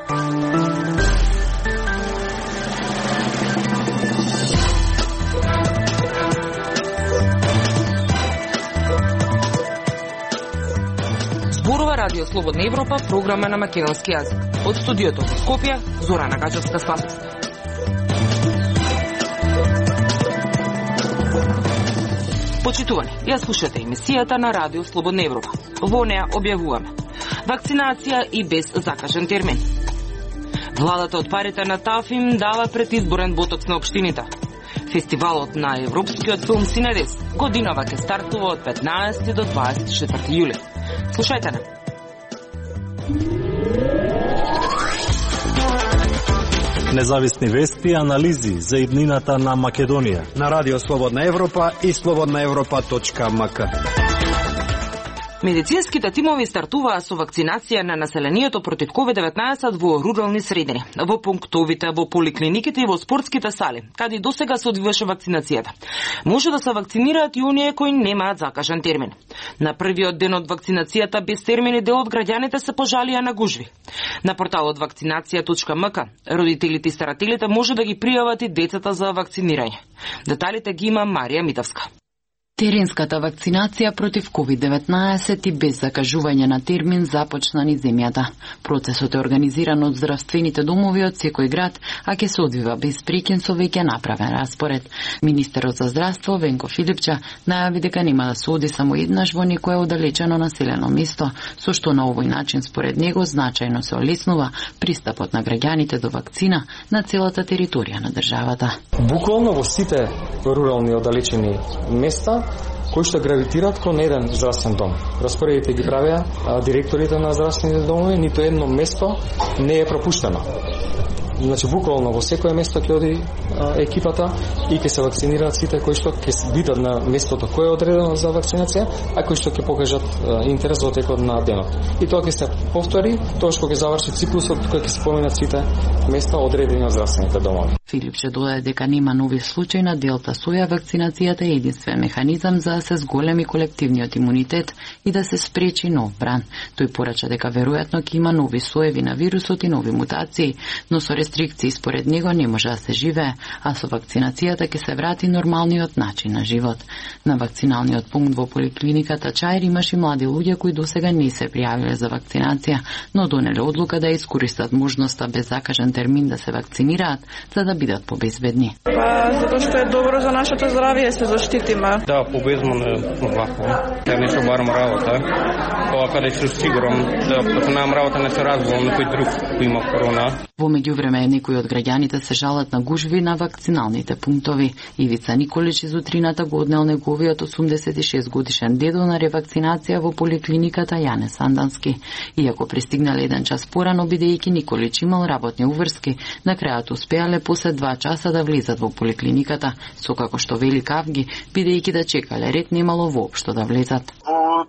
Зборува Радио Слободна Европа, програма на македонски јазик. Од студиото во Скопје, Зорана Гаџевска-Славовска. Почитувани, ја слушате емисијата на Радио Слободна Европа. Во неа објавуваме вакцинација и без закажен термин. Владата од парите на ТАФИМ дава предизборен ботокс на општините. Фестивалот на европскиот филм Синедес годинава ќе стартува од 15 до 24 јули. Слушајте на. Независни вести и анализи за иднината на Македонија на Радио Слободна Европа и slobodnaevropa.mk. Медицинските тимови стартуваа со вакцинација на населението против COVID-19 во рурални средини, во пунктовите, во поликлиниките и во спортските сали, каде досега се одвиваше вакцинацијата. Може да се вакцинираат и оние кои немаат закажан термин. На првиот ден од вакцинацијата без термини дел од граѓаните се пожалија на гужви. На порталот вакцинација.mk родителите и старателите може да ги пријават и децата за вакцинирање. Деталите ги има Марија Митовска. Теренската вакцинација против COVID-19 и без закажување на термин започна низ земјата. Процесот е организиран од здравствените домови од секој град, а ќе се одвива без прекин со веќе направен распоред. Министерот за здравство Венко Филипча најави дека нема да се оди само еднаш во некое оддалечено населено место, со што на овој начин според него значајно се олеснува пристапот на граѓаните до вакцина на целата територија на државата. Буквално во сите рурални оддалечени места кои што гравитираат кон еден здравствен дом. Распоредите ги правеа директорите на здравствените домови, нито едно место не е пропуштено. Значи, буквално во секое место ќе оди екипата и ќе се вакцинираат сите кои што ќе бидат на местото кое е одредено за вакцинација, а кои што ќе покажат интерес во текот на денот. И тоа ќе се повтори, тоа што ќе заврши циклусот кој ќе се поминат сите места одредени од здравствените домови. Филипче додаде дека нема нови случаи на делта соја, вакцинацијата е единствен механизам за да се зголеми колективниот имунитет и да се спречи нов бран. Тој порача дека веројатно ќе има нови соеви на вирусот и нови мутации, но со рестрикции според него не може да се живее, а со вакцинацијата ќе се врати нормалниот начин на живот. На вакциналниот пункт во поликлиниката Чаир имаше млади луѓе кои досега не се пријавиле за вакцинација, но донеле одлука да искористат можноста без закажан термин да се вакцинираат, за да бидат побезбедни. Затоа што е добро за нашето здравје се заштитиме. Да, побезбедно е вако. Ја не се барам работа. Ова каде се сигурам да почнам работа не се разбувам на кој друг кој има корона. Во меѓувреме некои од граѓаните се жалат на гужви на вакциналните пунктови. Ивица Николич из утрината го однел неговиот 86 годишен дедо на ревакцинација во поликлиниката Јане Сандански. Иако пристигнале еден час порано, бидејќи Николич имал работни уврски, на крајот успеале после 2 часа да влезат во поликлиниката, со како што вели Кавги, бидејќи да чекале ред немало воопшто да влезат.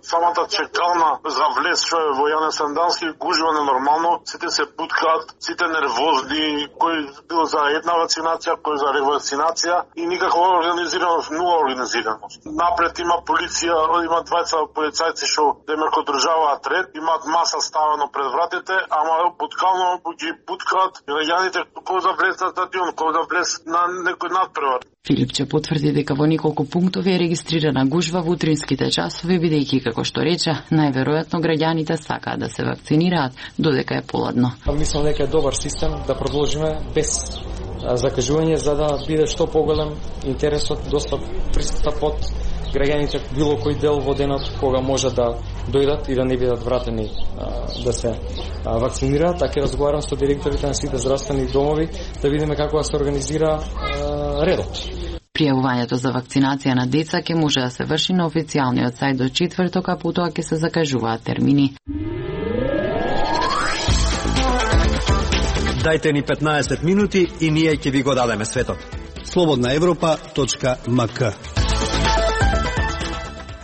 Самата чекална за влез што е во Јане Сандански гужва ненормално, сите се буткаат, сите нервозни, кој бил за една вакцинација, кој за ревакцинација и никаква организираност, нула организираност. Напред има полиција, има 20 полицајци што демеко државаат ред, имаат маса ставено пред вратите, ама буткално ги буткаат граѓаните кој да влез на стадион, кој да влез на некој надпревар. Филипче потврди дека во неколку пунктови е регистрирана гужва во утринските часови, бидејќи, како што рече, најверојатно граѓаните сакаат да се вакцинираат додека е поладно. Мислам дека е добар систем да продолжиме без закажување за да биде што поголем интересот, доста пристапот граѓаните било кој дел во денот кога може да дојдат и да не бидат вратени да се вакцинираат. Така разговарам со директорите на сите здравствени домови да видиме како да се организира редот. Пријавувањето за вакцинација на деца ќе може да се врши на официјалниот сајт до четврток, а потоа ќе се закажуваат термини. Дајте ни 15 минути и ние ќе ви го дадеме светот. slobodnaevropa.mk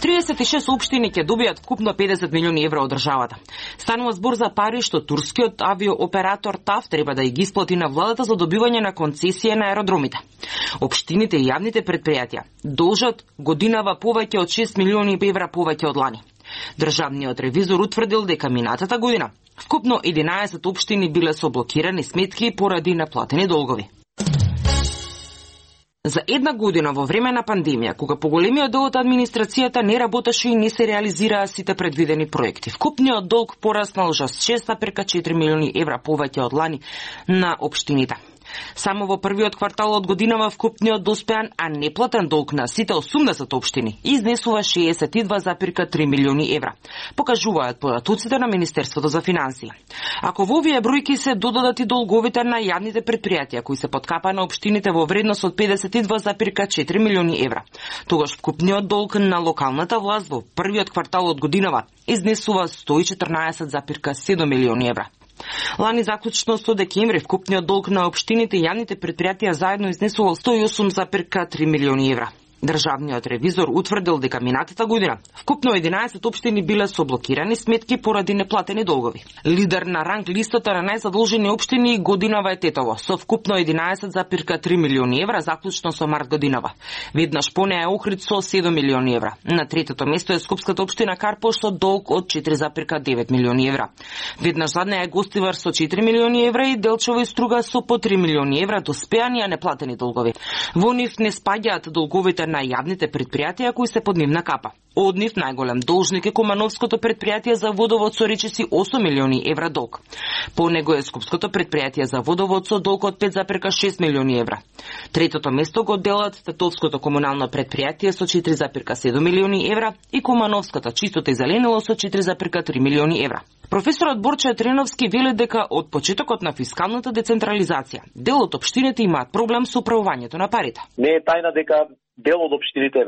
36 општини ќе добијат вкупно 50 милиони евра од државата. Станува збор за пари што турскиот авиооператор ТАФ треба да ги исплати на владата за добивање на концесија на аеродромите. Општините и јавните предпријатија должат годинава повеќе од 6 милиони евра повеќе од лани. Државниот ревизор утврдил дека минатата година Вкупно 11 општини биле со блокирани сметки поради неплатени долгови. За една година во време на пандемија, кога поголемиот дел од администрацијата не работеше и не се реализираа сите предвидени проекти, вкупниот долг пораснал за 6,4 милиони евра повеќе од лани на општините. Само во првиот квартал од годинава вкупниот доспеан, а неплатен долг на сите 80 општини изнесува 62,3 милиони евра, покажуваат податоците на Министерството за финансии. Ако во овие бројки се додадат и долговите на јавните предпријатија кои се подкапа на општините во вредност од 52,4 милиони евра, тогаш вкупниот долг на локалната власт во првиот квартал од годинава изнесува 114,7 милиони евра. Лани заклучно со декември вкупниот долг на општините и јавните предпријатија заедно изнесувал 108,3 милиони евра. Државниот ревизор утврдил дека минатата година вкупно 11 општини биле со блокирани сметки поради неплатени долгови. Лидер на ранг листата на најзадолжени општини годинава е Тетово со вкупно 11,3 милиони евра заклучно со март годинава. Веднаш по неа е Охрид со 7 милиони евра. На третото место е скопската општина Карпош со долг од 4,9 милиони евра. Веднаш зад неа е Гостивар со 4 милиони евра и Делчево и Струга со по 3 милиони евра доспеани а неплатени долгови. Во нив не спаѓаат долговите на јавните предпријатија кои се под нивна капа. Од нив најголем должник е Кумановското предпријатие за водовод со речиси 8 милиони евра долг. По него е Скопското предпријатие за водовод со долг од 5,6 милиони евра. Третото место го делат Тетовското комунално предпријатие со 4,7 милиони евра и Кумановската чистота и зеленило со 4,3 милиони евра. Професорот Борче Треновски вели дека од почетокот на фискалната децентрализација дел од општините имаат проблем со управувањето на парите. Не е тајна дека дел од општините,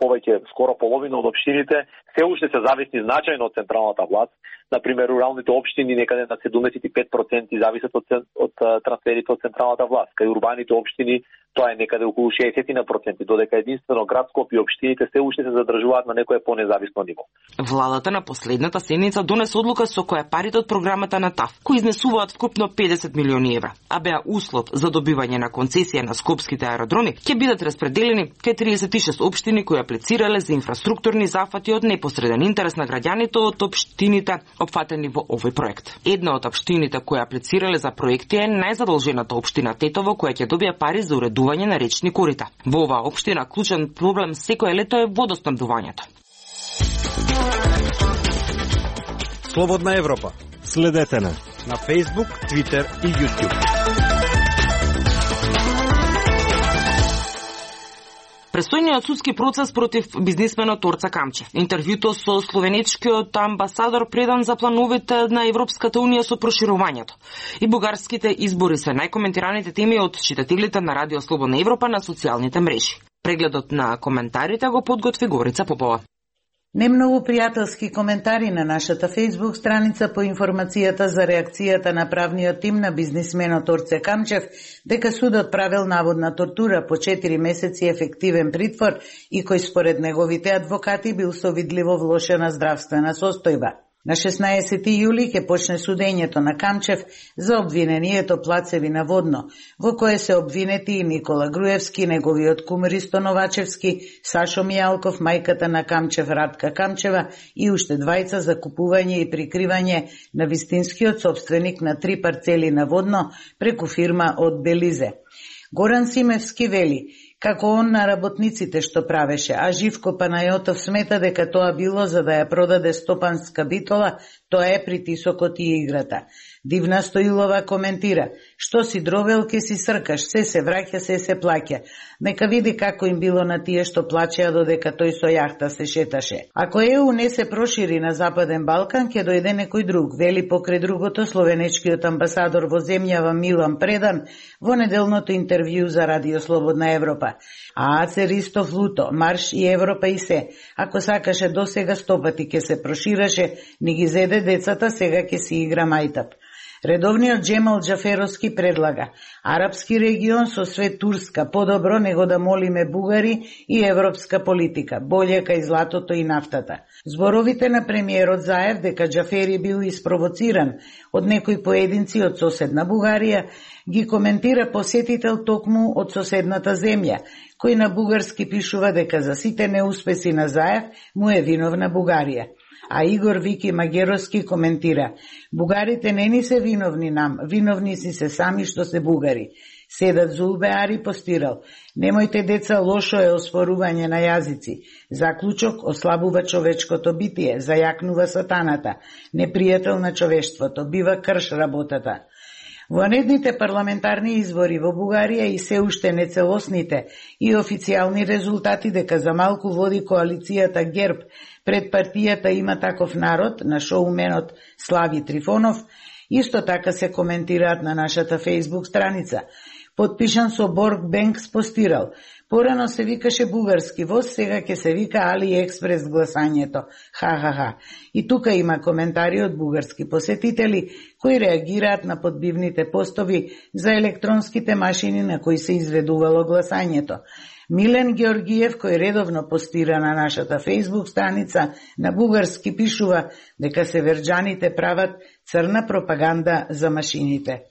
повеќе скоро половина од општините, се уште се зависни значајно од централната власт. Например, руралните општини некаде на 75% зависат од трансферите од централната власт. Кај урбаните општини тоа е некаде околу 60%, додека единствено град Скопје и општините се уште се задржуваат на некое понезависно ниво. Владата на последната седница донесе одлука со која парите од програмата на ТАФ, кои изнесуваат вкупно 50 милиони евра, а беа услов за добивање на концесија на скопските аеродроми, ќе бидат распределени кај 36 општини кои аплицирале за инфраструктурни зафати од непосреден интерес на граѓаните од општините опфатени во овој проект. Една од општините кои аплицирале за проекти е најзадолжената општина Тетово, која ќе добие пари за уредување на речни корита. Во оваа општина клучен проблем секое лето е водоснабдувањето. Слободна Европа. Следете на Facebook, Twitter и YouTube. Престојниот судски процес против бизнисменот Орца Камчев. Интервјуто со словенечкиот амбасадор предан за плановите на Европската Унија со проширувањето. И бугарските избори се најкоментираните теми од читателите на Радио Слободна Европа на социјалните мрежи. Прегледот на коментарите го подготви Горица Попова. Немногу пријателски коментари на нашата Facebook страница по информацијата за реакцијата на правниот тим на бизнисменот Орце Камчев дека судот правил наводна тортура по 4 месеци ефективен притвор и кој според неговите адвокати бил со видливо влошена здравствена состојба. На 16 јули ќе почне судењето на Камчев за обвинението плацеви наводно, во кое се обвинети и Никола Груевски, неговиот кум Ристо Новачевски, Сашо Мијалков, мајката на Камчев Радка Камчева и уште двајца за купување и прикривање на вистинскиот собственик на 3 парцели наводно преку фирма од Белизе. Горан Симевски вели како он на работниците што правеше, а Живко Панајотов смета дека тоа било за да ја продаде стопанска битола, тоа е притисокот и играта. Дивна Стоилова коментира, што си дробел ке си сркаш, се враќа, се плаќа. Нека види како им било на тие што плачеа додека тој со јахта се шеташе. Ако ЕУ не се прошири на Западен Балкан, ќе дојде некој друг, вели покрај другото словенечкиот амбасадор во земјава Милан Предан во неделното интервју за Радио Слободна Европа. А Аце Ристов Луто, Марш и Европа и се. Ако сакаше до сега 100 пати ќе се прошираше, не ги зеде децата, сега ќе си игра мајтап. Редовниот Джемал Джаферовски предлага арапски регион со свет Турска, подобро него да молиме бугари и европска политика, болje кај златото и нафтата. Зборовите на премиерот Заев дека Джафери бил испровоциран од некои поединци од соседна Бугарија ги коментира посетител токму од соседната земја, кој на бугарски пишува дека за сите неуспеси на Заев му е виновна Бугарија. А Игор Вики Магеровски коментира: бугарите не ни се виновни нам, виновни си се сами што се бугари. Седат Зулбе Ари постирал: немојте деца, лошо е оспорување на јазици. Заклучок: ослабува човечкото битие, зајакнува сатаната, непријател на човештвото, бива крш работата. Во недните парламентарни избори во Бугарија и се уште нецелосните и официјални резултати дека за малку води коалицијата ГЕРБ пред партијата Има таков народ на шоуменот Слави Трифонов, исто така се коментираат на нашата Facebook страница. Подпишан со Борг Бенкс постирал: порано се викаше бугарски воз, сега ќе се вика AliExpress гласањето. Ха. И тука има коментари од бугарски посетители кои реагираат на подбивните постови за електронските машини на кои се изведувало гласањето. Милен Георгиев, кој редовно постира на нашата Facebook страница, на бугарски пишува дека северџаните прават црна пропаганда за машините.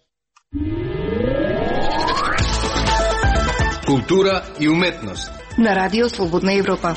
Култура и уметност на Радио Слободна Европа.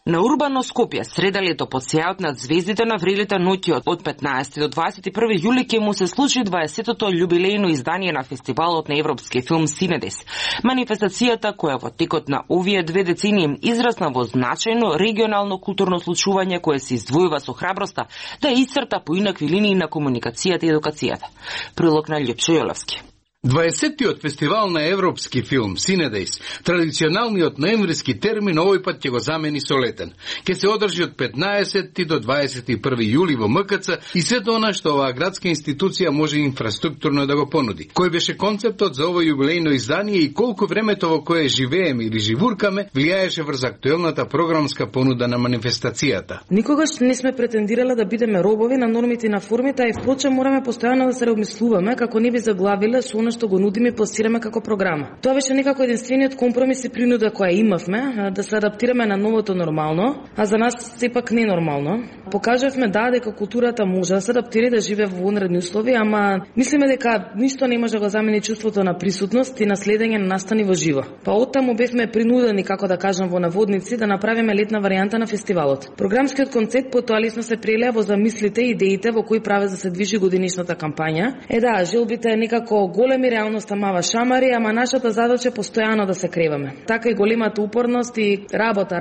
На Урбано Скопје среда лето под сејот над звездите на врелите ноќи од 15 до 21 јули ќе му се случи 20-тото јубилејно издание на фестивалот на европски филм Синедес. Манифестацијата, која во текот на овие 2 децении израсна во значајно регионално културно случување кое се издвојува со храброста да исцрта поинакви линии на комуникацијата и едукацијата. Прилог на Љупчо Јоловски. 20-тиот фестивал на европски филм Синедес, традиционалниот ноемвриски термин, овој пат ќе го замени со летен. Ќе се одржи од 15 до 21 јули во МКЦ и сето она што оваа градска институција може инфраструктурно да го понуди. Кој беше концептот за ово јубилејно издание и колку времето во кое живееме или живуркаме влијаеше врз актуелната програмска понуда на манифестацијата. Никогаш не сме претендирале да бидеме робови на нормите и на формите, а и впрочем мораме постојано да се реобмислуваме како не би заглавиле со она што го нудиме и пласираме како програма. Тоа беше некако единствениот компромис и принуда која имавме, да се адаптираме на новото нормално, а за нас сепак ненормално. Покажавме дека културата може да се адаптира и да живее во вонредни услови, ама мислиме дека ништо не може да го замени чувството на присутност и на следење на настани во живо. Па оттаму бевме принудени, како да кажам во наводници, да направиме летна варијанта на фестивалот. Програмскиот концепт потоа лесно се прелеа во замислите и идеите во кои праве да се движи годинишната кампања. Желбите некако големи, реалноста мава шамари, ама нашата задача е постојано да се креваме. Така и големата упорност и работа,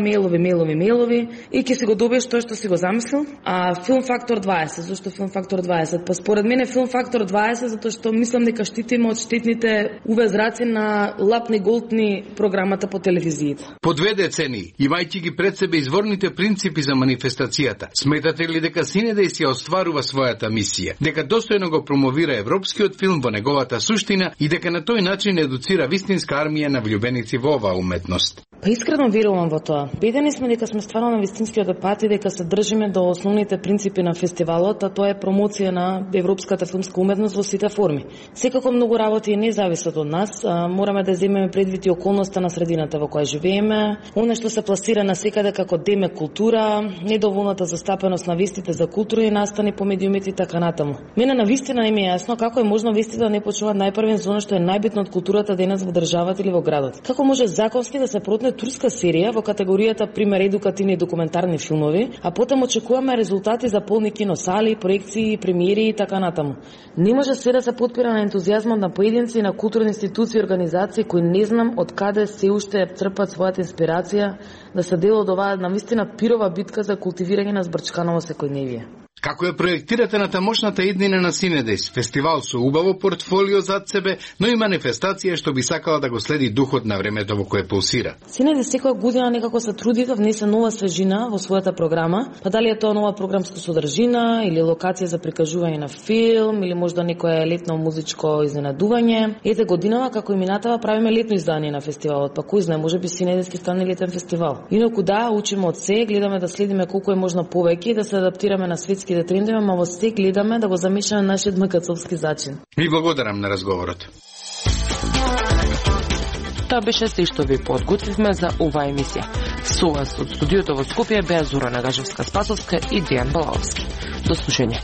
мејлови и ќе си го добиеш тоа што си го замислил. А Филм Фактор 20, зашто Филм Фактор 20? Па според мене Филм Фактор 20 затоа што мислам дека штитиме од штетните увезраци на лапни голтни програмата по телевизиите. По 2 децении, имајќи ги пред себе изворните принципи за манифестацијата, сметате ли дека Синедес ја остварува својата мисија, дека достојно го промовира европскиот филм во неговата суштина и дека на тој начин едуцира вистинска армија на влюбеници во оваа уметност? Па искрено верувам во тоа. Бедени сме дека сме стварно на вистинскиот пат и дека се држиме до основните принципи на фестивалот, а тоа е промоција на европската филмска уметност во сите форми. Секако многу работи не зависат од нас, мораме да земеме предвид и околноста на средината во која живееме, она што се пласира на секаде како деме култура, недоволната застапеност на вестите за културни настани по медиумите и така натаму. Мене на вистина не ми е јасно како е можно вестите да не почнуваат најпрвен за она што е најбитно од културата денес во државата или во градот. Како може законски да се протне турска серија во категоријата пример едукативни и документарни филмови, а потом очекуваме резултати за полни киносали, проекции, премиери и така натаму. Не може се да се потпира на ентузијазмот на поединци и на културни институции и организации кои не знам од каде се уште црпат својата инспирација да се дел од оваа навистина пирова битка за култивирање на збрчканово секојдневие. Како ја проектирате на тамошната иднина на Синедес, фестивал со убаво портфолио зад себе, но и манифестација што би сакала да го следи духот на времето во кое пулсира? Синедес секоја година некако се труди да внесе нова свежина во својата програма, па дали е тоа нова програмска содржина или локација за прикажување на филм или можда некое летно музичко изненадување. Ете годинава како и минатава правиме летно издание на фестивалот, па кој знае, можеби Синедес ќе стане летен фестивал. Инаку да, учиме од се, гледаме да следиме колку е можно повеќе и да се адаптираме на светски да трендиме, ма во се гледаме да го замешаме нашиот МКЦовски зачин. Ми благодарам на разговорот. Тоа беше се што ви подготвивме за оваа емисија. Со вас од студиото во Скопје беа Зора Нагажевска-Спасовска и Дијан Балаовски. До слушање.